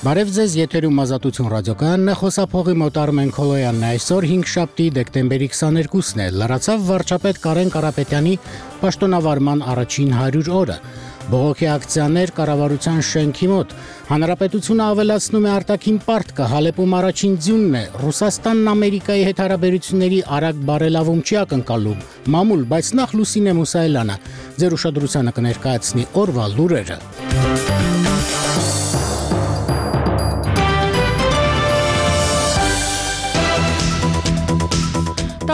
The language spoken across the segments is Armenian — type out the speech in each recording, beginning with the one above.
Բարև ձեզ, եթերում Ազատություն ռադիոկայանն է, խոսափողի մոտ Արմեն Քոլոյանն է, այսօր 5-շաբթի դեկտեմբերի 22-ն է, լրացավ վարչապետ Կարեն Կարապետյանի պաշտոնավարման առաջին 100 օրը։ Բողոքի ակցիաներ կառավարության շենքի մոտ, Հանրապետությունը ավելացնում է արտաքին պարտքը, Հալեպում առաջին ձյունն է, Ռուսաստանն Ամերիկայի հետ հարաբերությունների արագ բարելավում չի ակնկալում, մամուլ, բայց նախ Լուսինե Մուսայելյանը ձեր ուշադրությանը կներկայացնի օրվա լուրերը։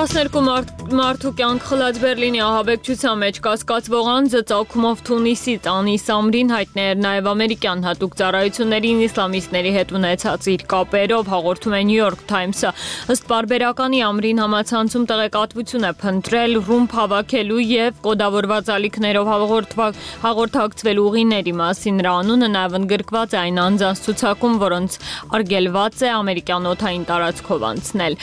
12 մարդու կյանք խլած Բերլինի ահաբեկչության մեջ կասկածվող անձը ծագումով Թունիսից Անի Սամրին հայտնի էր նաև ամերիկյան հատուկ ծառայություններին իսլամիստների հետ ունեցած իր կապերով, հաղորդում է New York Times-ը։ Ըստ պարբերականի Ամրին համացանցում տեղեկատվություն է փնտրել ռումբ հավաքելու եւ կոդավորված ալիքներով հաղորդակցվելու ուղիների մասին։ Նրա անունը նաև ընդգրկված է այն անձանց ցուցակում, որոնց արգելված է ամերիկյան օդային տարածքով անցնել։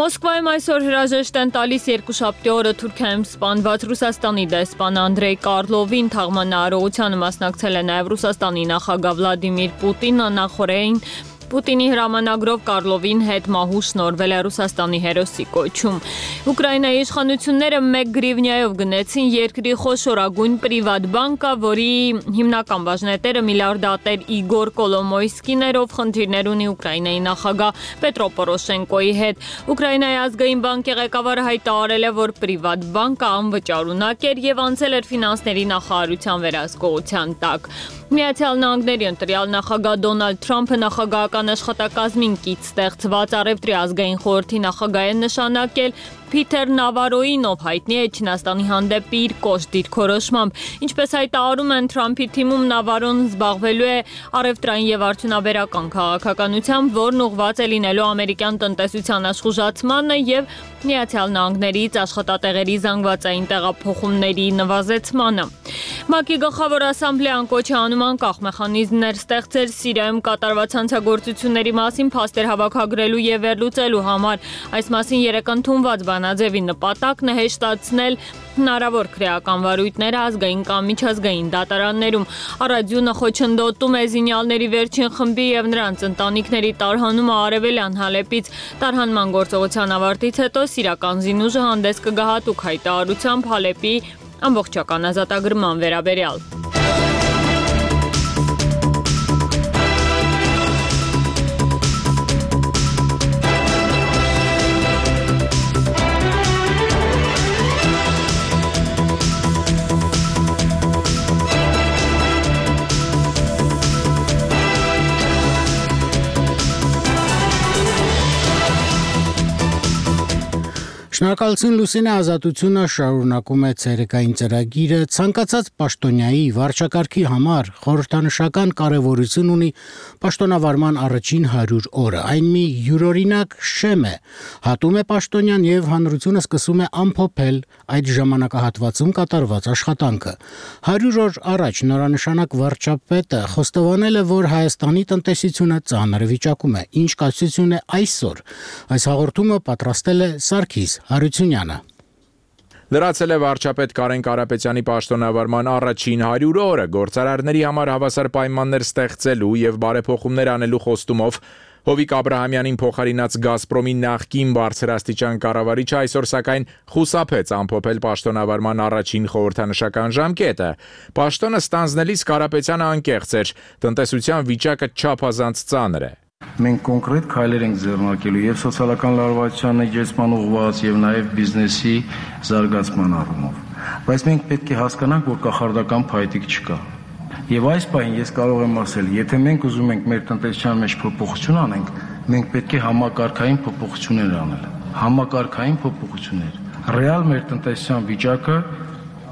Մոսկվայում այսօր հրաժեշտ են տալիս երկուշաբթի օրը Թուրքիայում սպանված Ռուսաստանի դեսպան Անդրեյ Կարլովին, թաղման արարողությանը մասնակցել է նաև Ռուսաստանի նախագահ Վլադիմիր Պուտինը, նախորդին Պուտինի հրամանագրով Կարլովին հետ մահու շնորհվել է Ռուսաստանի հերոսի կոչում։ Ուկրաինայի իշխանությունները 1 գրիվնյայով գնեցին երկրի խոշորագույն պրիվատ բանկը, որի հիմնական բաժնետերը միլիարդատեր Իգոր Կոլոմոյսկին էր, ով խնդիրներ ունի Ուկրաինայի նախագահ Պետրո Պորոշենկոյի հետ։ Ուկրաինայի ազգային բանկի ղեկավարը հայտարարել է, որ պրիվատ բանկը անվճարունակ էր եւ անցել էր ֆինանսների նախարարության վերահսկողության տակ։ Միացյալ Նահանգների ընտրյալ նախագահ Դոնալդ Թրամփը նախագահական աշխատակազմին կից ստեղծված Առևտրի ազգային խորհրդի նախագահ է նշանակել Փիթեր Նավարոյին, ով հայտնի է Չինաստանի հանդեպ իր կոշտ դիրքորոշմամբ։ Ինչպես հայտարարում են Թրամփի թիմում, Նավարոն զբաղվելու է առևտրային եւ արդյունաբերական քաղաքականությամբ, որն ուղղված է լինելու ամերիկյան տնտեսության աշխուժացմանը եւ Միացյալ Նահանգներից աշխատատեղերի զանգվածային տեղափոխումների նվազեցմանը։ ՄԱԿ-ի գլխավոր ասամբլեան կոչ է անում անկախ մեխանիզմներ ստեղծել Սիրիայում կատարված հանցագործությունների մասին փաստեր հավաքագրելու եւ վերլուծելու համար։ Այս մասին երեկ ընդունված բանաձևի նպատակն է հեշտացնել հնարավոր քրեական վարույթները ազգային կամ միջազգային դատարաններում։ Առադյունը խոչընդոտում է զինյալների վերջին խմբի եւ նրանց ընտանիքների տարհանումը Արևելյան Հալեպից։ Տարհանման գործողության ավարտից հետո սիրիական զինուժը հանդես կգա հատուկ հայտարարությամբ Հալեպի ամբողջական ազատագրման վերաբերյալ։ Շնորհակալություն Լուսինե, Ազատությունը շարունակում է ցերեկային ծրագիրը, ցանկացած պաշտոնյայի վարչակարգի համար խորհրդանշական կարևորություն ունի պաշտոնավարման առաջին 100 օրը։ Այն մի յուրօրինակ շեմ է, հատում է պաշտոնյան եւ հանրությունը սկսում է ամփոփել այդ ժամանակահատվածում կատարված աշխատանքը։ 100 օր առաջ նորանշանակ վարչապետը խոստովանել է, որ Հայաստանի տնտեսությունը ծանր վիճակում է, ինչ կասություն է այսօր։ Այս հաղորդումը պատրաստել է Սարգիս Հարությունյանը։ Լրացել է վարչապետ Կարեն Կարապետյանի պաշտոնավարման առաջին 100 օրը, գործարարների համար հավասար պայմաններ ստեղծելու եւ բարեփոխումներ անելու խոստումով Հովիկ Աբրահամյանին փոխարինած Գազպրոմի նախկին բարձրաստիճան կառավարիչը այսօր սակայն խուսափեց ամփոփել պաշտոնավարման առաջին խորհրդանշական ժամկետը։ Պաշտոնը ստանձնելիս Կարապետյանը անկեղծ էր, տնտեսության վիճակը չափազանց ծանր է։ Մենք կոնկրետ քայլեր ենք ձեռնարկելու եւ սոցիալական լարվածության էջեցման ուղղված եւ նաեւ բիզնեսի զարգացման առումով։ Բայց մենք պետք է հասկանանք, որ կախարդական փայտիկ չկա։ Եվ այս պահին ես կարող եմ ասել, եթե մենք ուզում ենք մեր տնտեսության մեջ փոփոխություն անենք, մենք պետք է համակարգային փոփոխություններ անել։ Համակարգային փոփոխություններ։ Ռեալ մեր տնտեսության վիճակը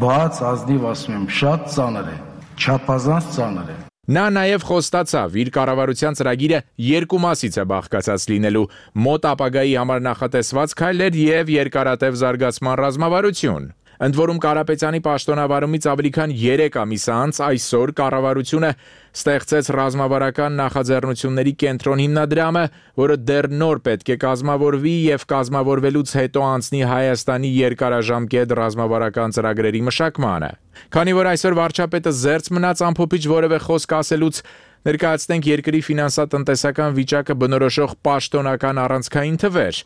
բաց ազնիվ ասում եմ, շատ ծանր է, չափազանց ծանր է։ Նա նաև խոստացավ, իր կառավարության ծրագիրը երկու մասից է բաղկացած լինելու՝ մոտ ապագայի համար նախատեսված քայլեր եւ երկարատև զարգացման ռազմավարություն։ Ընդ որում Կարապետյանի պաշտոնավարումից ավելի քան 3 ամիս անց այսօր կառավարությունը ստեղծեց ռազմավարական նախաձեռնությունների կենտրոն հիմնադրամը, որը դեռ նոր պետք է կազմավորվի եւ կազմավորվելուց հետո անցնի Հայաստանի երկարաժամկետ ռազմավարական ծրագրերի մշակմանը։ Քանի որ այսօր վարչապետը զերծ մնաց ամփոփիչ որևէ խոսք ասելուց, ներկայացնենք երկրի ֆինանսատնտեսական վիճակը բնորոշող պաշտոնական առանցքային թվեր։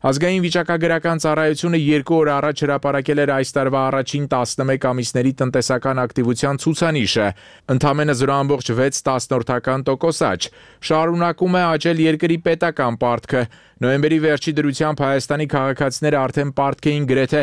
Ազգային վիճակագրական ծառայությունը 2 օր առաջ հրապարակել էր այս տարվա առաջին 11 ամիսների տնտեսական ակտիվության ցուցանիշը, ընդամենը 0.6% աճ, շարունակում է աճել երկրի պետական պարտքը, նոյեմբերի վերջի դրությամբ Հայաստանի քաղաքացիները արդեն պարտք էին գրեթե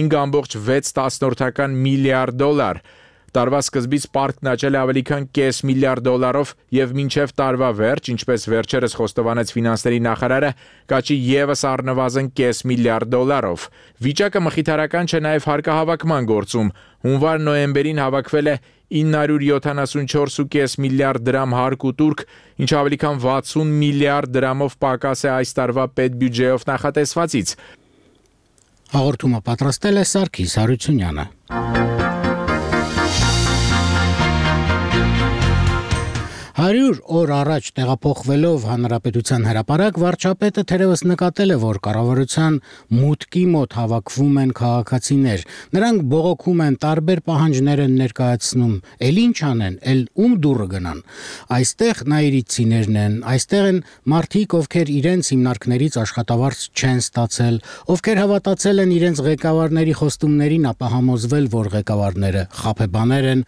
5.6 միլիարդ դոլար, Տարվա սկզբից պարտքն աճել է ավելի քան կես միլիարդ դոլարով եւ մինչեւ տարվա վերջ, ինչպես վերջերս խոստովանեց ֆինանսների նախարարը, կաճի եւս առնվազն կես միլիարդ դոլարով։ Վիճակը մխիթարական չէ նաեւ հարկահավաքման գործում։ Հունվար-նոյեմբերին հավաքվել է 974.5 միլիարդ դրամ հարկ ու տուրք, ինչ ավելի քան 60 միլիարդ դրամով պակաս է այս տարվա պետբյուջեով նախատեսվածից։ Հաղորդումը պատրաստել է Սարգիս Հարությունյանը։ Հարյուր օր առաջ տեղափոխվելով հանրապետության հրապարակ վարչապետը թերևս նկատել է, որ կառավարության մուտքի մոտ հավաքվում են քաղաքացիներ։ Նրանք բողոքում են, տարբեր պահանջներ են ներկայացնում։ Էլ ինչ անեն, էլ ում դուռը գնան։ Այստեղ նայիրիցիներն են, այստեղ են մարդիկ, ովքեր իրենց հիմնարկներից աշխատավարձ չեն ստացել, ովքեր հավատացել են իրենց ղեկավարների խոստումներին, ապա համոզվել, որ ղեկավարները խաբեբաներ են։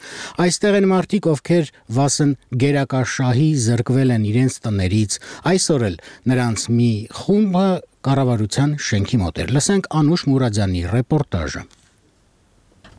Այստեղ են մարդիկ, ովքեր վասն գերակաշահի զրկվել են իրենց տներից, այսօր էլ նրանց մի խումբը կառավարության շենքի մոտ էր։ Լսենք Անուշ Մուրադյանի ռեպորտաժը։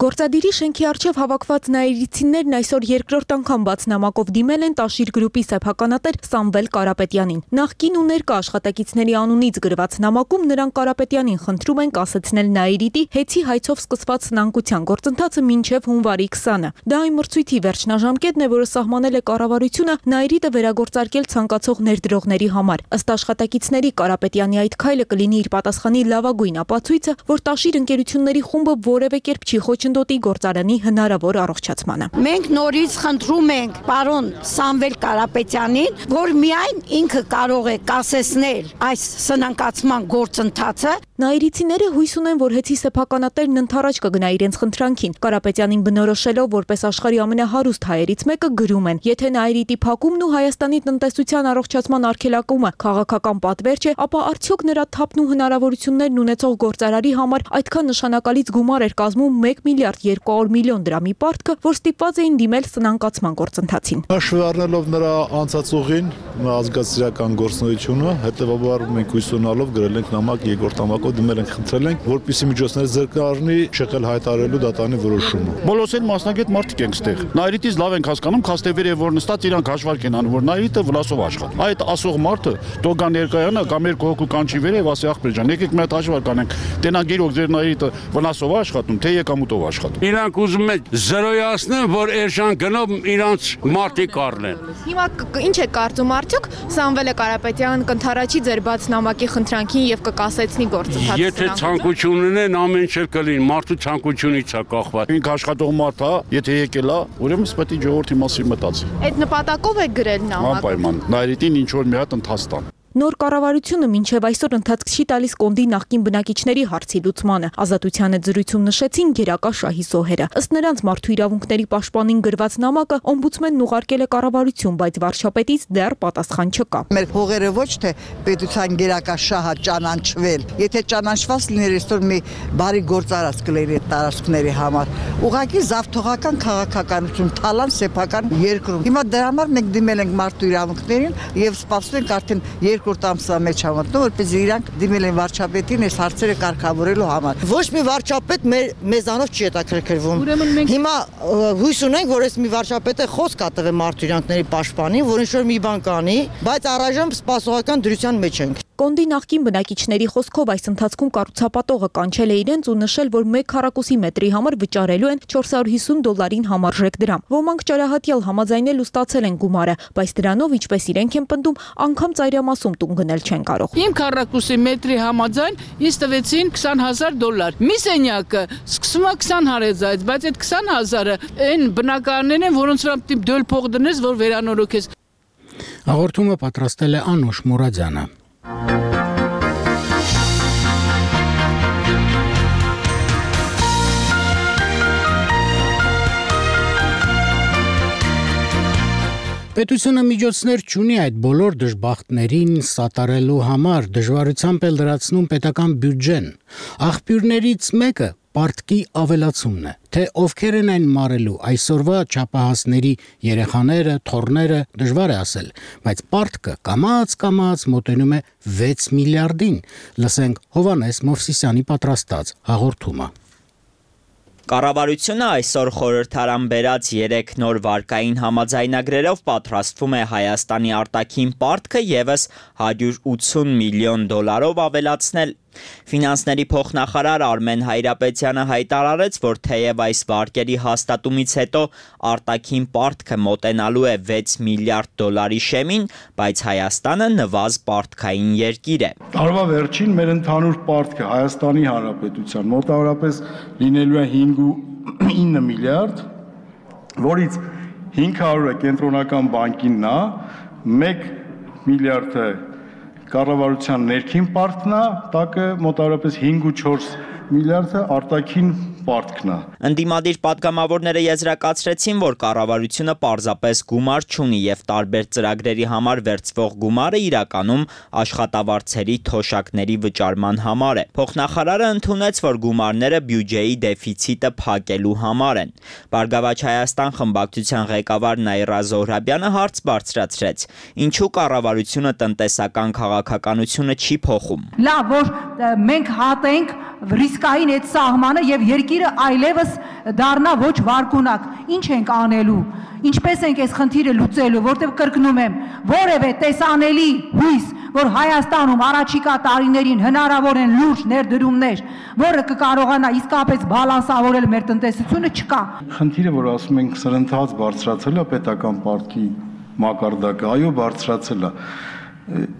Գործադիրի շենքի առջև հավաքված նայիրիցիներն այսօր երկրորդ անգամ բաց նամակով դիմել են Տաշիր գրուպի սեփականատեր Սամվել Կարապետյանին։ Նախկին ու ներկա աշխատակիցների անունից գրված նամակում նրանք Կարապետյանին խնդրում են կասեցնել նայիրիտի հեծի հայցով սկսված սնանկության գործընթացը մինչև հունվարի 20-ը։ Դա այն մրցույթի վերջնաժամկետն է, որը սահմանել է կառավարությունը նայիրիտը վերագործարկել ցանկացող ներդրողների համար։ Ըստ աշխատակիցների Կարապետյանի այդ քայլը կլինի իր պատասխանի լավագույն ապացույցը, որ Տաշիր ընկերությունների խումբը որևէ կերպ չի խոչընդոտի գործարանի հնարավոր առողջացմանը։ Մենք նորից խնդրում ենք պարոն Սամվել Կարապետյանին, որ միայն ինքը կարող է կասեցնել այս սնանկացման գործընթացը։ Նայիրիցիները հույս ունեն, որ հեծի սեփականատերն ընդառաջ կգնա իրենց խնդրանքին։ Կարապետյանին բնորոշելով որպես աշխարհի ամենահարուստ հայերից մեկը գրում են. եթե նայիրիտի փակումն ու Հայաստանի տնտեսության առողջացման արգելակումը քաղաքական պատվեր չէ, ապա արդյոք նրա թափն ու հնարավորություններն ունեցող գործարարի համար այդքան նշանակալից գումար էր կազմում 1 միլիարդ 200 միլիոն դրամի պարտքը, որ ստիպված էին դիմել սնանկացման գործընթացին։ Հաշվի առնելով նրա անցածուղին, ազգացիական գործունեությունը, հետևաբար մենք հույս ունենալով գրել ենք նամակ, երկրորդ նամակով դիմել ենք, խնդրել ենք, որպեսզի միջոցները զրկարնի շեղել հայտարարելու դատանի որոշումը։ Բոլորս էլ մասնագետ մարդիկ ենք ստեղ։ Նայրիտից լավ ենք հասկանում, քաստեվեր է որ նստած իրանք հաշվարկ են անում, որ նայրիտը վնասով աշխատի։ Այդ ասող մարդը դոգա ներկայանա կամ երկու հոգու կանչի վերև, ասի ախպեր ջան, եկեք մի հատ հաշվարկ անենք։ Տենա գիրոք ձեր նայրիտը վնասով աշխատում, թե եկամուտով աշխատում։ Իրանք ուզում են զրոյացնեն, որ էշան գնով իրանց մարդիկ առնեն։ Հիմա ինչ է կարծում արդյոք Սամվելը Կարապետյան կընթառաջի ձեր բաց նամակի խնդրանքին եւ կկասեցնի գործընթացը։ Եթե ցանկություն ունեն, ամեն ինչ կլինի, մարդու ցանկությունից է կախված։ Ինք աշխատող մարդ է, եթե եկել է, ուրեմն պետք է ժողովրդի մասին մտածի։ Այդ նպատակով է գրել նամակը։ Անպայման, նայրիտին ինչ որ մի հատ ընթաց տան։ Նոր կառավարությունը մինչև այսօր ընթացք չի տալիս Կոնդի նախկին բնակիչների հարցի լուծմանը։ Ազատությանը զրույցում նշեցին գերակա շահի զոհերը։ Ըստ նրանց մարդու իրավունքների պաշտպանին գրված նամակը օմբուդսմենն ուղարկել է կառավարություն, բայց վարչապետից դեռ պատասխան չկա։ Մեր փողերը ոչ թե պետության գերակա շահը ճանաչվել, եթե ճանաչված լիներ այսօր մի բարի գործարած կլիներ այդ տարածքների համար։ Ուղղակի զավթողական քաղաքականություն, թալան սեփական երկրում։ Հիմա դրա համար մենք դիմել ենք մարդու իրավունքներին եւ սպասում ենք արդեն երկրորդ ամսվա մեջ համաձայն, որպեսզի իրանք դիմել են վարչապետին այս հարցերը կարգավորելու համար։ Ոչ մի վարչապետ մեզանով չի հետաքրքրվում։ Հիմա հույս ունենք, որ այս մի վարչապետը խոսք կա տվել մարդու իրավունքների պաշտպանին, որ ինչ-որ մի բան կանի, բայց առայժմ սպասողական դրության մեջ ենք։ Կոնդի նախկին բնակիչների խոսքով այս ընթացքում կառուցապատողը կանչել է իրենց ու նշել, որ 1 քառակուսի մետրի համար վճարելու են $450 համարժեք դրամ։ Ոմանք ճարահատյալ համաձայնել ու ստացել են գումարը, բայց դրանով, ինչպես իրենք են պնդում, անգամ ծայրամասում տուն գնել չեն կարող։ 5 քառակուսի մետրի համաձայն ինձ տվեցին $20,000։ Մի սենյակը սկսում է 20,000-ից, բայց այդ 20,000-ը այն բնակարաններն են, որոնց վրա պետք է դոլ փող դնես, որ վերանորոգես։ Հաղորդումը պատրաստել է Անուշ Մուրադյանը։ Պետությունը միջոցներ չունի այդ բոլոր դժբախտներին սատարելու համար, դժվարությամբ էլ լրացնում պետական բյուջեն։ Աղբյուրներից մեկը պարտքի ավելացումն է, թե ովքեր են այն մարելու այսօրվա չափահասների երեխաները, թոռները, դժվար է ասել, բայց պարտքը կամաց մոտենում է 6 միլիարդին։ Լսենք Հովանես Մովսիսյանի պատրաստած հաղորդումը։ Կառավարությունը այսօր խորհրդարան բերած 3 նոր վարկային համաձայնագրերով պատրաստվում է Հայաստանի արտաքին պարտքը ևս $180 միլիոն ավելացնել։ Ֆինանսների փոխնախարար Արմեն Հայրապետյանը հայտարարեց, որ թեև այս վարկերի հաստատումից հետո արտաքին պարտքը մոտենալու է $6 միլիարդ շեմին, բայց Հայաստանը նվազ պարտքային երկիր է։ Տարվա վերջին մեր ընդհանուր պարտքը Հայաստանի Հանրապետության մոտավորապես լինելու է 5.9 միլիարդ, որից 500-ը կենտրոնական բանկինն է, 1 միլիարդը կառավարության ներքին պարտքն է, տակը մոտավորապես 5.4 միլիարդը արտաքին պարտքն է։ Ընդդիմադիր պատգամավորները եզրակացրեցին, որ կառավարությունը պարզապես գումար չունի եւ տարբեր ծրագրերի համար վերցվող գումարը իրականում աշխատավարձերի թոշակների վճարման համար է։ Փոխնախարարը ընդունեց, որ գումարները բյուջեի դեֆիցիտը փակելու համար են։ Բարգավաճ Հայաստան խմբակցության ղեկավար Նաիրա Զոհրաբյանը հարց բարձրացրեց. ինչու կառավարությունը տնտեսական քաղաքականությունը չի փոխում։ Լավ, որ մենք հատենք ռիսկային այդ սահմանը եւ երկիրը այլևս դառնա ոչ վարկունակ։ Ինչ ենք անելու։ Ինչպես ենք այս խնդիրը լուծելու, որտեղ կրկնում եմ, որևէ տեսանելի հույս, որ Հայաստանում առաջիկա տարիներին հնարավոր են լուրջ ներդրումներ, որը կկարողանա իսկապես բալանսավորել մեր տնտեսությունը, չկա։ Խնդիրը, որ ասում ենք սրընթաց բարձրացել է պետական պարտքի մակարդակը, այո, բարձրացել է։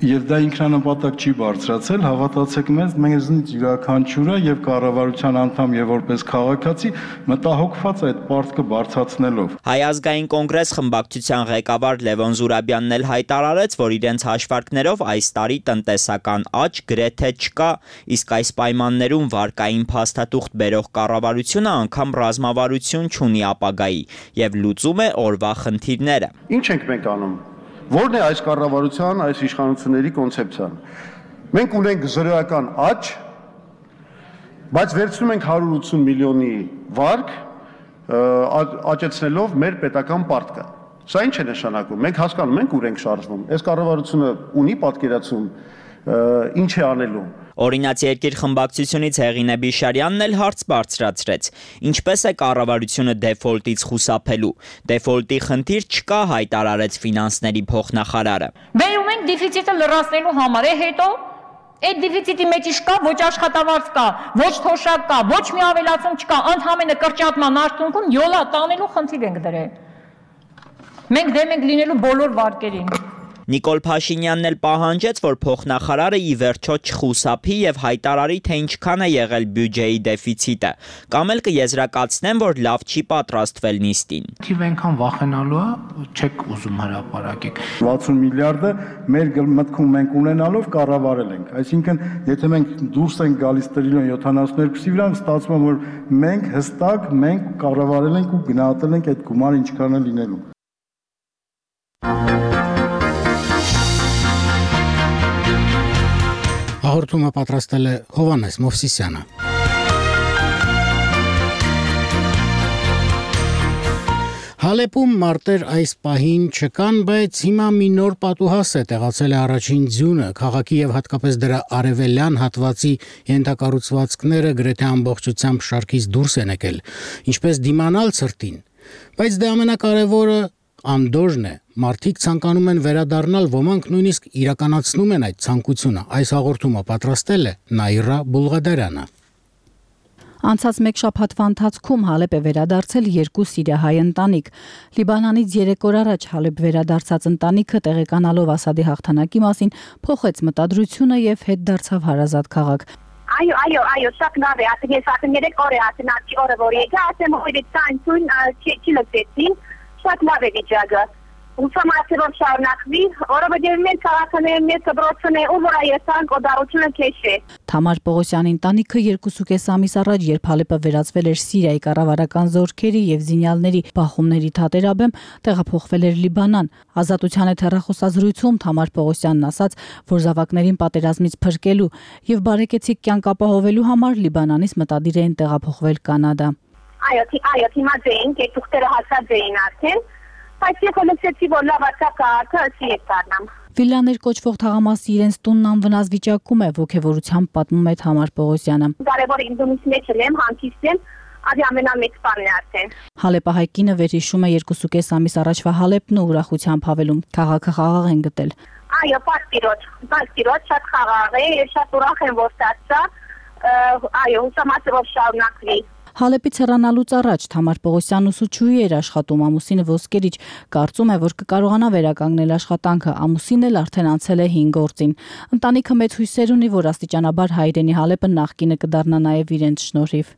Եվ դա ինքնանպատակ չի բարձրացել, հավատացեք մեզ, մեզնից յուրաքանչյուրը եւ կառավարության անդամ եւ որպես քաղաքացի մտահոգված է այդ պարտքը բարձրացնելով։ Հայ ազգային կոնգրես խմբակցության ղեկավար Լևոն Զուրաբյանն էլ հայտարարեց, որ իրենց հաշվարկներով այս տարի տնտեսական աճ գրեթե չկա, իսկ այս պայմաններում վարկային փաստաթուղթ բերող կառավարությունը անգամ ռազմավարություն չունի ապագայի եւ լուծում է օրվա խնդիրները։ Ինչ ենք մենք անում։ Որն է այս կառավարության, այս իշխանությունների կոնցեպցիան։ Մենք ունենք զրոյական աճ, բայց վերցնում ենք 180 միլիոնի վարկ, աճեցնելով մեր պետական պարտքը։ Սա ինչ է նշանակում։ Մենք հասկանում ենք ուր ենք շարժվում։ Այս կառավարությունը ունի պատկերացում, ինչ է անելու։ Օրինաց երկիր խմբակցությունից Հեղինե Բիշարյանն էլ հարց բարձրացրեց. ինչպես է կառավարությունը դեֆոլտից խուսափելու։ Դեֆոլտի խնդիր չկա, հայտարարեց ֆինանսների փոխնախարարը։ Բերում ենք դեֆիցիտը լրացնելու համար, հետո այդ դեֆիցիտի մեջ չկա ոչ աշխատավարձ կա, ոչ թոշակ կա, ոչ մի ավելացում չկա, ընդհանրապես կրճատման արդյունքում յոլա տանելու խնդիր ենք դրել։ Մենք դեմ ենք լինելու բոլոր վարկերին։ Նիկոլ Փաշինյանն էլ պահանջեց, որ փոխնախարարը ի վերջո չխուսափի եւ հայտարարի, թե ինչքան է եղել բյուջեի դեֆիցիտը, կամ էլ կեզրակացնեն, որ լավ չի պատրաստվել նիստին։ Թիվ այնքան վախենալու է, չեք ուզում հրապարակեք։ 60 միլիարդը մեր մտքում մենք ունենալով կառավարել ենք։ Այսինքն, եթե մենք դուրս ենք գալիս տրիլիոն 72-ի վրա, ստացվում է, որ մենք հստակ կառավարել ենք ու գնահատել ենք այդ գումարը ինչքան է լինելու։ Հաղորդումը պատրաստել է Հովանես Մովսիսյանը։ Հալեպում մարտեր այս պահին չկան, բայց հիմա մի նոր պատուհաս է տեղացել է առաջին ձյունը, քաղաքի եւ հատկապես դրա արևելյան հատվածի ենթակառուցվածքները գրեթե ամբողջությամբ շարքից դուրս են եկել, ինչպես դիմանալ ցրտին, բայց դա ամենակարևորը անդոժն է։ Մարդիկ ցանկանում են վերադառնալ, ոմանք նույնիսկ իրականացնում են այդ ցանկությունը։ Այս հաղորդումը պատրաստել է Նաիրա Բուլղադարյանը։ Անցած մեկ շաբաթվա ընթացքում Հալեպ է վերադարձել 2 սիրիահայ ընտանիք։ Լիբանանից 3 օր առաջ Հալեպ վերադարձած ընտանիքը տեղեկանալով Ասադի հաղթանակի մասին փոխեց մտադրությունը եւ հետ դարձավ հարազատ քաղաք։ Այո, շատ լավ է, ասենք ես ասեմ 3 օր է ասենացի օրը որ եկա, ասեմ հույրից ցույն չի լսեցին, շատ լավ է վիճակը։ Ուսումնասիրով շարունակվի, որովհետև մենք քաղաքաներն մեծ դրոցն է ու որ այսան կոդարությունը քեշ է։ Թամար Պողոսյանի ընտանիքը 2.5 ամիս առաջ, երբ Հալեպը վերածվել էր Սիրիայի կառավարական զորքերի եւ զինյալների բախումների թատերաբեմ, տեղափոխվել էր Լիբանան։ Ազատության հետ հեռախոսազրույցում Թամար Պողոսյանն ասաց, որ զավակներին պատերազմից փրկելու եւ բարեկեցիկ կյանք ապահովելու համար Լիբանանից մտադիր էին տեղափոխվել Կանադա։ Այո, հիմա ձեին, કે թուղթերը հասած էին արդեն։ Բայց ես հոլեցեցի, որ լավացա քաղաքը ասի է դառնամ։ Վիլլաներ կոչվող թաղամասի իրենց տունն անվնաս վիճակում է, ոգևորությամբ պատմում է Թամար Պողոսյանը։ Կարևոր ինձնից մեջ եմ, հանգիստ եմ, ադի ամենամեծ բանն է արդեն։ Հալեպահայ կինը վերհիշում է 2.5 ամիս առաջվա Հալեպն ու ուրախությամբ հավելում. քաղաքը խաղաղ են գտել։ Այո, պաստիրոջ, շատ խաղաղ է, շատ ուրախ եմ, որ ստացա, այո, ուսումնասիրով շարունակվի։ Հալեպից հեռանալուց առաջ Թամար Պողոսյանն ուսուցչուհի էր աշխատում, ամուսինը ոսկերիչ, կարծում է, որ կկարողանա վերականգնել աշխատանքը, ամուսինն էլ արդեն անցել է 5 գործին։ Ընտանիքը մեծ հույսեր ունի, որ աստիճանաբար հայրենի Հալեպը նախկինը կդառնա նաև իրենց շնորհիվ։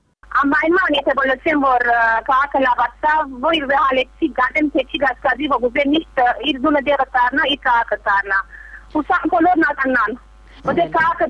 Անպայման եթե բոլորին որ քաղաքը լավացա, որ Հալեպի գտեմ քեչի գասկադի ոգուզե միշտ իր զոնը դերը դառնա, իր քաղաքը դառնա։ Ուսան բոլորն ականան։ Որտեղ քաղաքը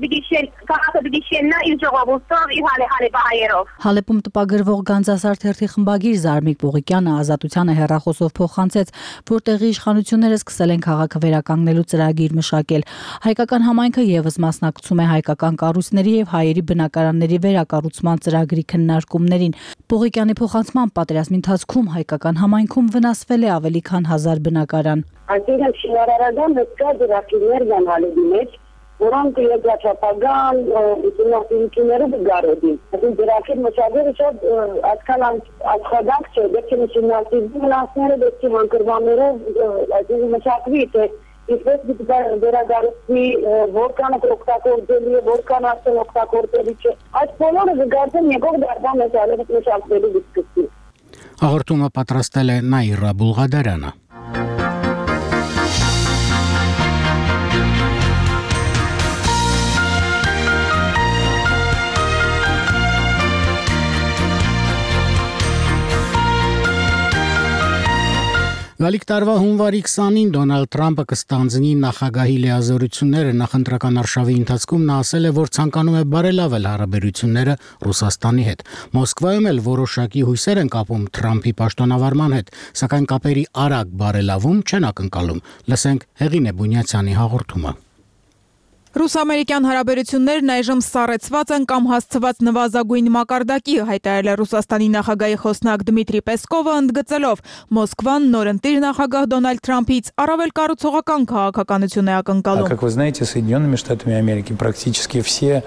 դիգիշեննա իր ժողովուրդով, իր հալեպահայերով։ Հալեպում տպագրվող Գանձասար թերթի խմբագիր Զարմիկ Պողիկյանը Ազատությանը հեռախոսով փոխանցեց, որ տեղի իշխանությունները սկսել են քաղաքը վերականգնելու ծրագիր մշակել։ Հայկական համայնքը եւս մասնակցում է հայկական կառույցների եւ հայերի բնակարանների վերակառուցման ծրագրի քննարկումներին։ Պողիկյանի փոխանցման պատերազմի ընթացքում հայկական համայնքում վնասվել է ավելի քան 1000 բնակարան։ Այսինքն շինարարական հսկա դրախիներ կան Հալեպի մեջ, որոնք երկրաչափական ուսումնասիրությունները դգարոդին։ Այսինքն դրախիտ մշակելը շատ այդքան աշխատանք չէ, դեռ ուսումնասիրությունները վնասները դեպի հանգրվաններով այսինքն մշակվի, թե ինչպես դիտվի վերադարձի որքանը օգտագործելի է, որքան արդեն օգտագործելի չէ։ Այս բոլորը զգացեն եկող դարձան մեծ Հալեպը մշակվելու դիսկուսի։ Հաղորդումը պատրաստել է Նաիրա Բուլղադարյանը։ Գալիք տարվա հունվարի 20-ին Դոնալդ Թրամփը կստանձնի նախագահի լիազորությունները նախընտրական արշավի ընթացքում նա ասել է, որ ցանկանում է բարելավել հարաբերությունները Ռուսաստանի հետ։ Մոսկվայում էլ որոշակի հույսեր են կապում Թրամփի պաշտոնավարման հետ, սակայն կապերի արագ բարելավում չեն ակնկալում։ Լսենք Հեղինե Բունյացյանի հաղորդումը։ Ռուս-ամերիկյան հարաբերություններն այժմ սառեցված են կամ հասցված նվազագույն մակարդակի, հայտարարել է Ռուսաստանի նախագահի խոսնակ Դմիտրի Պեսկովը, ընդգծելով Մոսկվան նորընտիր նախագահ Դոնալդ Թրամփից առավել կառուցողական քաղաքականություն է ակնկալում։ Как вы знаете, Соединенными Штатами Америки практически все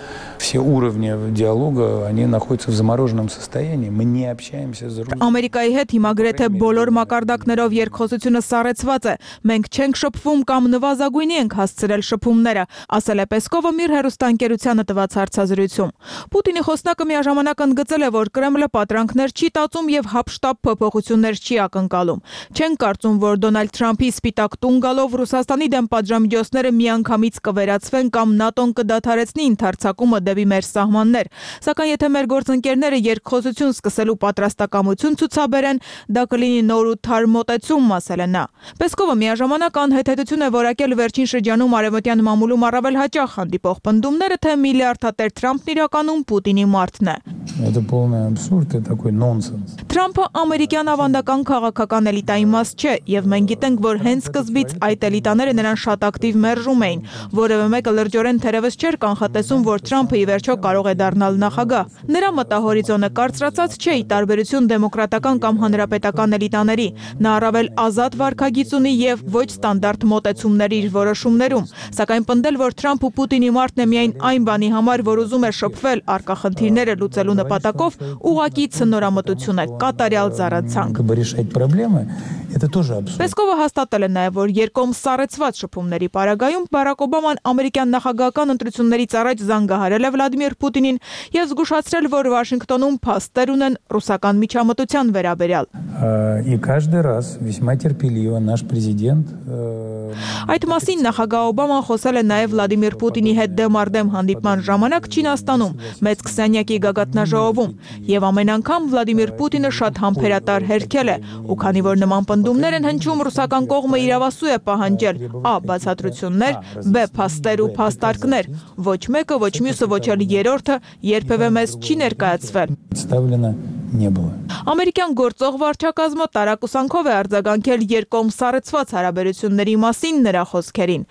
уровни диалога, они находятся в замороженном состоянии. Мы не общаемся с Россией. Ամերիկայի հետ հիմա գրեթե բոլոր մակարդակներով երկխոսությունը սառեցված է։ Մենք չենք շփվում կամ նվազագույնի ենք հասցրել շփումները, ասել է Պեսկովը իր հեռուստաընկերությանը տված հարցազրույցում։ Պուտինի խոսնակը միաժամանակ ընդգծել է, որ Կրեմլը պատրանքներ չի տածում եւ հապշտապ փոփոխություններ չի ակնկալում։ Չեն կարծում, որ Դոնալդ Թրամփի սպիտակ տուն գալով Ռուսաստանի դեմ պատժամիջոցները միանգամից կվերացվեն կամ ՆԱՏՕ-ն կդադարեցնի ընդարձակումը դեպի մեր սահմաններ։ Սակայն եթե մեր գործընկերները երկխոսություն սկսելու պատրաստակամություն ցուցաբերեն, դա կլինի նոր ու թար մոտեցում, ասել է նա։ Պեսկովը միաժամանակ անհետեթություն է որակել վերջին շրջանում արևմտյան մամուլում առավել հաճախ հանդիպող պնդումները, թե միլիարդատեր Թրամփն իրականում Պուտինի մարդն է։ Это полный абсурд, это такой нонсенс. Թրամփը ամերիկյան ավանդական քաղաքական էլիտայի մաս չէ, եւ մենք գիտենք, որ հենց սկզբից այդ էլիտաները նրան շատ ակտիվ մերժում էին։ Որևէ մեկը լրջորեն թերևս չէր կանխատեսում, որ Թրամփը ի վերջո կարող է դառնալ նախագահ։ Նրա մտահորիզոնը կարծրացած չէ, ի տարբերություն դեմոկրատական կամ հանրապետական էլիտաների։ Նա առավել ազատ վարքագիծ ունի եւ ոչ ստանդարտ մոտեցումներ իր որոշումներում։ Սակայն պնդել, որ Թրամփ ու Պուտինի մարտն է միայն այն բանի համար, որ ուզում է շփվել առկա խնդիրները լուծելու նպատակով, ուղղակի ցնորամտություն է, կատարյալ զառացանք։ Պեսկովը հաստատել է նաև, որ երկկողմ սառեցված շփումների պարագայում Բարակ Օբաման ամերիկյան նախագահական ընտրություններից առաջ զանգահարել է Վլադիմիր Պուտինին եւ զգուշացրել, որ Վաշինգտոնում փաստեր ունեն ռուսական միջամտության վերաբերյալ։ Այդ մասին նախագահ Օբաման խոսել է նաև Վլադիմիր Պուտինի հետ դեմարդեմ հանդիպման ժամանակ Չինաստանում, մեծ քսանյակի գագաթնաժողովում, եւ ամեն անգամ Վլադիմիր Պուտինը շատ համբերատար հերքել է, ու քանի որ նման պնդումներ են հնչում, ռուսական կողմը իրավասու է պահանջել ա. բացատրություններ, բ. փաստեր ու փաստարկներ, ոչ մեկը, ոչ մյուսը, ոչ էլ երրորդը երբևէ մեզ չի ներկայացվել։ Ամերիկյան գործող վարչակազմը տարակուսանքով է արձագանքել երկկողմ սառեցված հարաբերությունների մասին նրա խոսքերին։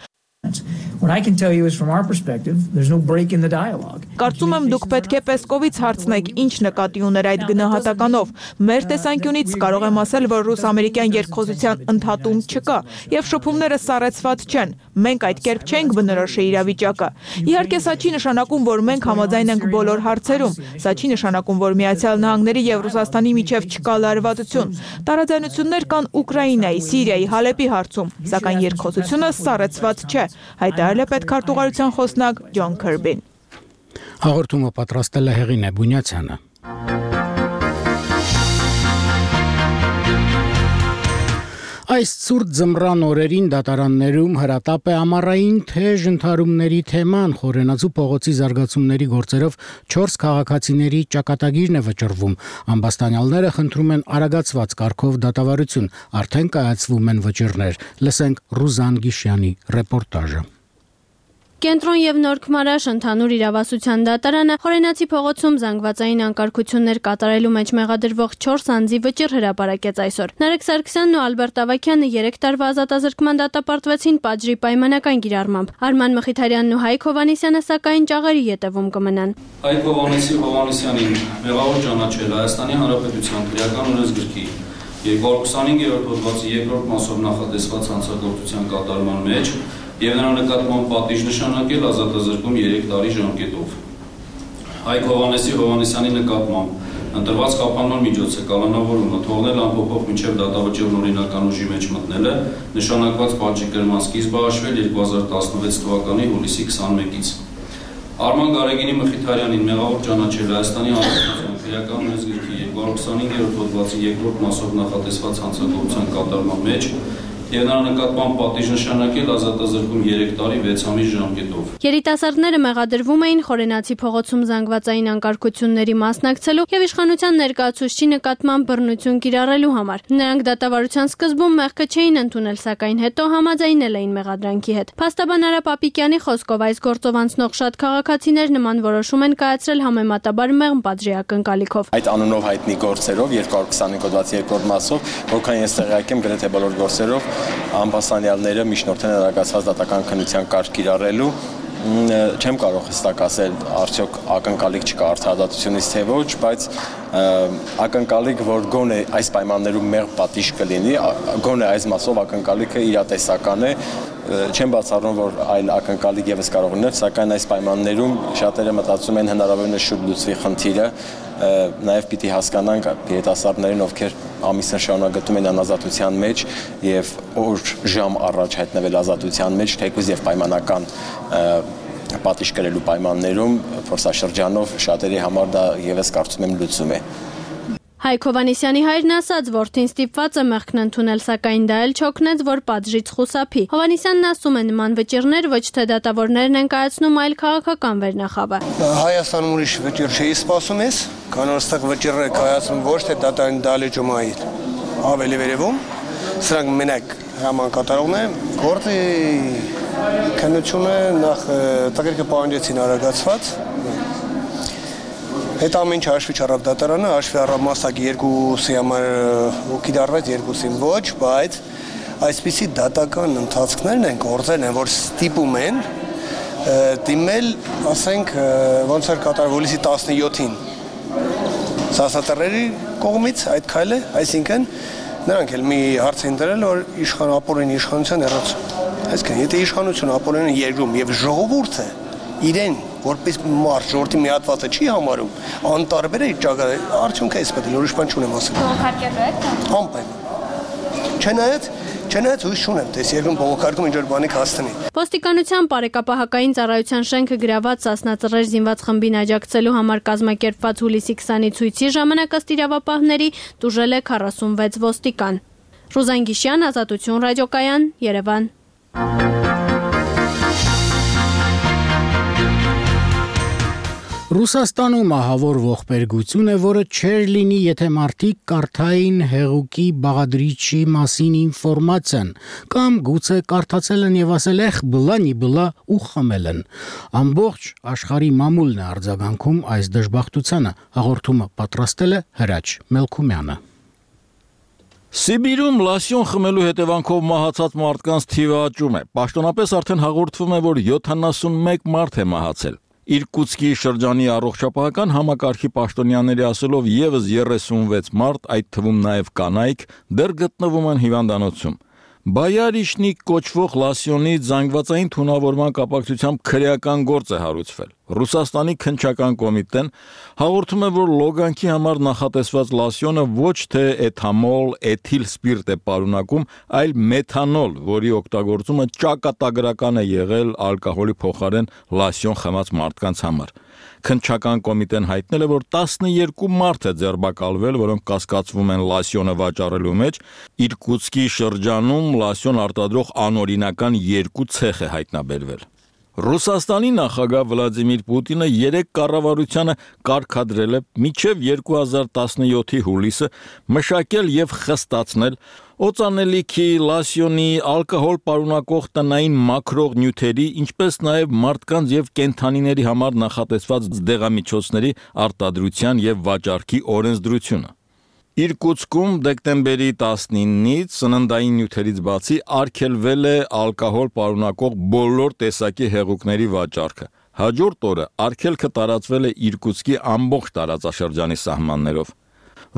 What I can tell you is from our perspective, there's no break in the dialogue. Կարծում եմ դուք պետք է Պեսկովից հարցնեք, ինչ նկատի ուներ այդ գնահատականով։ Մեր տեսանկյունից կարող եմ ասել, որ ռուս-ամերիկյան երկխոսության ընդհատում չկա, եւ շփումները սառեցված չեն։ Մենք այդ կերպ չենք բնորոշի իրավիճակը։ Իհարկե, սա չի նշանակում, որ մենք համաձայն ենք բոլոր հարցերում։ Սա չի նշանակում, որ Միացյալ Նահանգների եւ Ռուսաստանի միջև չկա լարվածություն։ Տարաձայնություններ կան Ուկրաինայի, Սիրիայի, Հալեպի հարցում, սակայն երկխոսությունը սառեցված չէ։ Հայտարարել է պետքարտուղարության խոսնակ Ջոն Քըրբին։ Հաղորդումը պատրաստել է Հեղինե Բունյացյանը։ Այս ցուրտ ձմռան օրերին դատարաններում հրատապ է ամառային թեժ ընդհարումների թեման, Խորենացու փողոցի զարգացումների գործերով 4 քաղաքացիների ճակատագիրն է վճռվում։ Ամբաստանյալները խնդրում են արագացված կարգով դատավարություն, արդեն կայացվում են վճիռներ։ Լսենք Ռուզան Գիշյանի ռեպորտաժը։ Կենտրոն եւ Նոր Քմարաշ ընդհանուր իրավասության դատարանը Խորենացի փողոցում զանգվածային անկարգություններ կատարելու մեջ մեղադրվող 4 անձի վճիռ հրապարակեց այսօր։ Նարեկ Սարգսյանն ու Ալբերտ Ավագյանը 3 տարվա ազատազրկման դատապարտվեցին պատժի պայմանական կիրառմամբ։ Արման Մխիթարյանն ու Հայկ Հովհաննիսյանը սակայն ճաղերի ետևում կմնան։ Հայկ Հովհաննիսյանին մեղավոր ճանաչել Հայաստանի Հանրապետության քրեական օրենսգրքի 225-րդ հոդվածի 2-րդ մասով նախատեսված հանցագործության կատարման մեջ եւ նրա նկատմամբ պատիժ նշանակել ազատազրկում 3 տարի ժամկետով։ Հայկ Հովհաննիսյանի նկատմամբ ընտրված կապանման միջոցը կալանավորումը թողնել անփոփոխ մինչև դատավճիռն օրինական ուժի մեջ մտնելը նշանակված պատժի կրման սկիզբը հաշվել 2016 թվականի հուլիսի 21-ից։ Արման Գարեգինի Մխիթարյանին մեղավոր ճանաչել Հայաստանի Հանրապետության քրեական օրենսգրքի 225-րդ հոդվածի 2-րդ մասով նախատեսված հանցագործության կատարման մեջ եւ նրա նկատմամբ պատիժ նշանակել ազատազրկում 3 տարի 6 ամիս ժամկետով։ Երիտասարդները մեղադրվում էին Խորենացի փողոցում զանգվածային անկարգությունների մասնակցելու եւ իշխանության ներկայացուցչի նկատմամբ բռնություն կիրառելու համար։ Նրանք դատավարության սկզբում մեղքը չէին ընդունել, սակայն հետո համաձայնել էին մեղադրանքի հետ։ Փաստաբան Արա Պապիկյանի խոսքով այս գործով անցնող շատ քաղաքացիներ նման որոշում են կայացրել համեմատաբար մեղմ պատժի ակնկալիքով։ Այդ անունով հայտնի գործերով 225 հոդվածի 2-րդ մասով, որքան ես տեղյակ եմ, գրեթե բոլոր գործերով ամբաստանյալները միջնորդեն արագացված դատական քննության կարգ կիրառելու։ Չեմ կարող հստակ ասել արդյոք ակնկալիք չկա արդարադատությունից թե ոչ, բայց ակնկալիք, որ գոնե այս պայմաններում մեղմ պատիժ կլինի, գոնե այս մասով ակնկալիքը իրատեսական է, չեմ բացառում, որ այլ ակնկալիք եւս կարող լինել, սակայն այս պայմաններում շատերը մտածում են հնարավորինս շուտ լուծվի խնդիրը, նաեւ պիտի հասկանանք երիտասարդներին, ովքեր ամիսներ շարունակ գտնում են անազատության մեջ եւ օր ժամ առաջ հայտնվել ազատության մեջ, թեկուզ եւ պայմանական պատիժ կրելու պայմաններում փորձաշրջանով շատերի համար դա եւս կարծում եմ լուծում է։ Հայկ Հովհաննիսյանի հայրն ասաց, որդին ստիպված է մեղքն ընդունել, սակայն դա էլ չօգնեց, որ պատժից խուսափի։ Հովհաննիսյանն ասում է, նման վճիռներ ոչ թե դատավորներն են կայացնում, այլ քաղաքական վերնախավը։ Հայաստանում ուրիշ վճիռ չի սպասում ես, քան որ այստեղ վճիռը կայացնում ոչ թե դատարանի դալեջումայի ավելի վերևում, սրանք մենակ հրամանատարողներ են, գործի քննությունը նախ տղերքը պահանջեցին արագացված։ Այդ ամեն ինչ հաշվի չառավ դատարանը, հաշվի առավ մասնակի 2-ի համար կիրառվեց, 2-ին ոչ, բայց այսպիսի դատական ընթացքներն են գործել են, որ ստիպում են դիմել, ասենք, ոնց էր կատարվել հուլիսի 17-ին սասատերերի կողմից այդ քայլը, այսինքն նրանք էլ մի հարց են դրել, որ ապօրինի իշխանության հեռացում։ Այսինքն, եթե իշխանությունը ապօրինի երկրում եւ ժողովուրդը իրեն որպես մարդ ժողովրդի միատվածը չի համարում, անտարբեր է իր ճակատը, արդյունքը էս պետք է ուրիշ բան չունեմ ասել։ Բողոքարկելու եք։ Անպայման։ Չնայած հույս չունեմ, թե երկրում բողոքարկում ինչ-որ բանի կհասցնի։ Ոստիկանության բարեկապահական ծառայության շենքը գրաված Սասնա ծռեր զինված խմբին աջակցելու համար կազմակերպված հուլիսի 20-ի ցույցի ժամանակ ըստ իրավապահների տուժել է 46 ոստիկան։ Ռուզան Գիշյան, Ազատություն ռադիոկայան, Երևան։ Ռուսաստանում ահավոր ողբերգություն է, որը չէր լինի, եթե մարդիկ կարդային հեղուկի բաղադրիչի մասին ինֆորմացիան, կամ գուցե կարդացել են եւ ասել эх բլանի բլա ու խմել են։ Ամբողջ աշխարհի մամուլն է արձագանքում այս դժբախտությանը, հաղորդումը պատրաստել է Հրաչ Մելքումյանը։ Սիբիրում լասյոն խմելու հետևանքով մահացած մարդկանց թիվը աճում է։ Պաշտոնապես արդեն հաղորդվում է, որ 71 մարդ է մահացել։ Իրկուտսկի շրջանի առողջապահական համակարգի պաշտոնյաների ասելով եւս 36 մարդ, այդ թվում նաեւ կանայք, դեռ գտնվում են հիվանդանոցում։ Բայարիշնիկ կոչվող լասյոնի զանգվածային թունավորման կապակցությամբ քրեական գործ է հարուցվել։ Ռուսաստանի քննչական կոմիտեն հաղորդում է, որ լոգանքի համար նախատեսված լասյոնը ոչ թե էթամոլ, էթիլ սպիրտ է պարունակում, այլ մեթանոլ, որի օգտագործումը ճակատագրական է եղել ալկոհոլի փոխարեն լասյոն խմած մարդկանց համար։ Քննչական կոմիտեն հայտնել է, որ 12 մարդ է ձերբակալվել, որոնք կասկածվում են լասյոնը վաճառելու մեջ։ Իրկուտսկի շրջանում լասյոն արտադրող անօրինական 2 ցեխ է հայտնաբերվել։ Ռուսաստանի նախագահ Վլադիմիր Պուտինը 3 կառավարությանը կարգադրել է մինչև 2017-ի հուլիսը մշակել եւ խստացնել օծանելիքի, լասյոնի, ալկոհոլ պարունակող տնային մաքրող նյութերի, ինչպես նաեւ մարդկանց եւ կենդանիների համար նախատեսված դեղամիջոցների արտադրության եւ վաճառքի օրենսդրությունը։ Իրկուտսկում դեկտեմբերի 19-ից սննդային նյութերից բացի արգելվել է ալկոհոլ պարունակող բոլոր տեսակի հեղուկների վաճառքը։ Հաջորդ օրը արգելքը տարածվել է Իրկուտսկի ամբողջ տարածաշրջանի սահմաններով։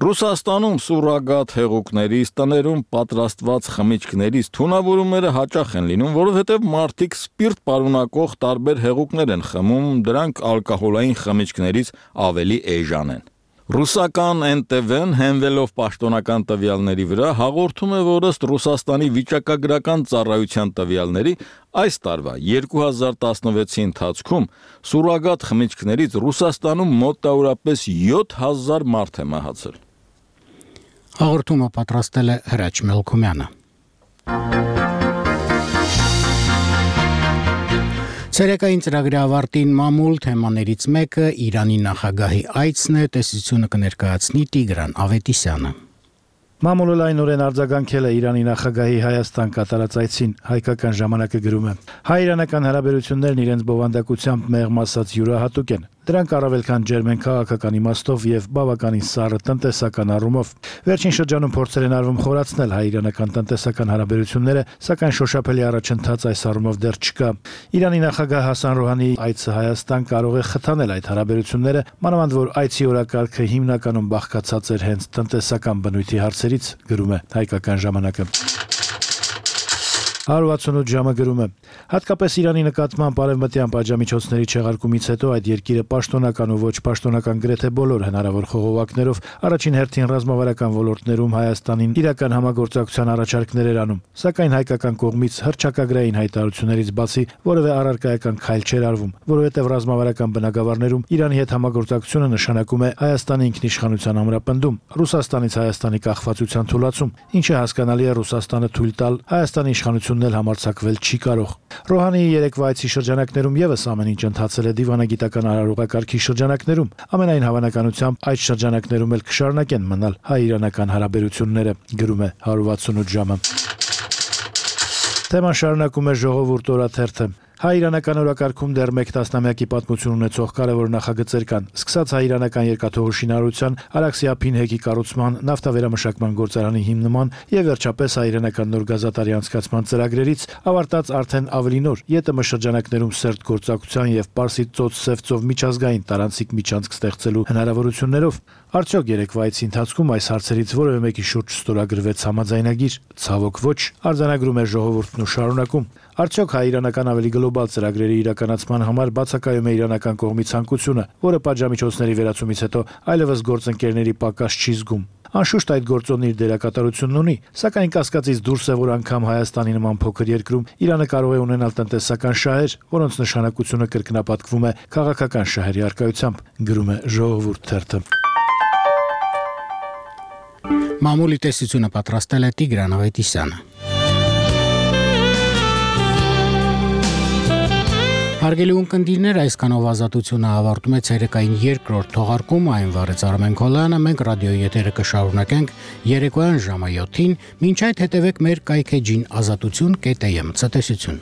Ռուսաստանում սուրագատ հեղուկներից, տներում պատրաստված խմիչքներից թունավորումները հաճախ են լինում, որովհետև մարդիկ սպիրտ պարունակող տարբեր հեղուկներ են խմում, դրանք ալկոհոլային խմիչքներից ավելի էժան են։ Ռուսական NTV-ն հենվելով պաշտոնական տվյալների վրա հաղորդում է, որ ըստ Ռուսաստանի վիճակագրական ծառայության տվյալների այս տարվա 2016-ի ընթացքում սուրագատ խմիչքներից Ռուսաստանում մոտավորապես 7000 մարդ է մահացել։ Հաղորդումը պատրաստել է Հրաչ Մելքումյանը։ Ցերեկային ծրագրի ավարտին մամուլ թեմաներից մեկը Իրանի նախագահի այցն է, տեսությունը կներկայացնի Տիգրան Ավետիսյանը։ Մամուլը լայնորեն արձագանքել է Իրանի նախագահի Հայաստան կատարած այցին, հայկական ժամանակը գրում է. հայ-իրանական հարաբերություններն իրենց բովանդակությամբ մեղմ ասած յուրահատուկ են։ Դրանք առավել քան ջերմ են քաղաքական իմաստով եւ բավականին սառը տնտեսական առումով։ Վերջին շրջանում փորձեր են արվում խորացնել հայ-իրանական տնտեսական հարաբերությունները, սակայն շոշափելի առաջընթաց այս առումով դեռ չկա։ Իրանի նախագահ Հասան Ռոհանիի այցը Հայաստան կարող է խթանել այդ հարաբերությունները, մանավանդ որ այցի օրակարգը հիմնականում բաղկացած էր հենց տնտեսական բնույթի հարցերից, գրում է հայկական ժամանակը։ 168 ժամը գրում է. հատկապես Իրանի նկատմամբ արևմտյան պատժամիջոցների չեղարկումից հետո այդ երկիրը պաշտոնական ու ոչ պաշտոնական գրեթե բոլոր հնարավոր խողովակներով առաջին հերթին ռազմավարական ոլորտներում Հայաստանին իրական համագործակցության առաջարկներ էր անում, սակայն հայկական կողմից հռչակագրային հայտարարություններից բացի որևէ առարկայական քայլ չէր արվում, որովհետև ռազմավարական բնագավառներում Իրանի հետ համագործակցությունը նշանակում է Հայաստանի ինքնիշխանության ամրապնդում, Ռուսաստանից Հայաստանի կախվածության թուլացում, ինչը հասկանալի է Ռուսաստանը թույլ տալ Հայաստանի իշխանությունն էլ համարձակվել չի կարող։ Ռոհանիի երեկվա այցի շրջանակներում եւս ամեն ինչ ընթացել է դիվանագիտական արարողակարգի շրջանակներում, ամենայն հավանականությամբ այդ շրջանակներում էլ կշարունակեն մնալ հայ-իրանական հարաբերությունները, գրում է 168 ժամը։ Թեման շարունակում է Ժողովուրդ օրաթերթը։ Հայ-իրանական օրակարգում դեռ 1 տասնամյակի պատմություն ունեցող կարևոր նախագծեր կան, սկսած հայ-իրանական երկաթուղու շինարարության, Արաքսիա փինհեկի կառուցման, նավթավերամշակման գործարանի հիմնման եւ վերջապես հայ-իրանական նոր գազատարի անցկացման ծրագրերից, ավարտած արդեն ավելի նոր ԵՏՄ շրջանակներում սերտ գործակցության եւ Պարսից ծոց-Սև միջազգային տարանցիկ միջանցք ստեղծելու հնարավորություններով։ Արդյոք երեկվա այցի ընթացքում այս հարցերից որևէ մեկի շուրջ ստորագրվեց համաձայնագիր, ցավոք ոչ, արձանագրում է ժողովուրդն ու շարունակում։ Արդյոք հայ-իրանական ավելի գլոբալ ծրագրերի իրականացման համար բացակայում է իրանական կողմի ցանկությունը, որը պատժամիջոցների վերացումից հետո այլևս գործընկերների պակաս չի զգում։ Անշուշտ այդ գործոնն իր դերակատարությունն ունի, սակայն կասկածից դուրս է, որ անգամ Հայաստանի նման փոքր երկրում Իրանը կարող է ունենալ տնտեսական շահեր, որոնց նշանակությունը կրկնապատկվում է քաղաքական շահերի առկայությամբ, գրում է Ժողովուրդ թերթը։ Մամուլի տեսությունը պատրաստել է Տիգրան Ավետիսյանը։ Հարգելի ունկնդիրներ, այսքանով ազատությունը ավարտում է ցերեկային երկրորդ թողարկումը, այն վարեց Արմեն Քոլյանը, մենք ռադիոյի եթերը կշարունակենք երեկոյան ժամը 7-ին, մինչ այդ հետևեք մեր կայքեջին ազատություն.am ցտեսություն։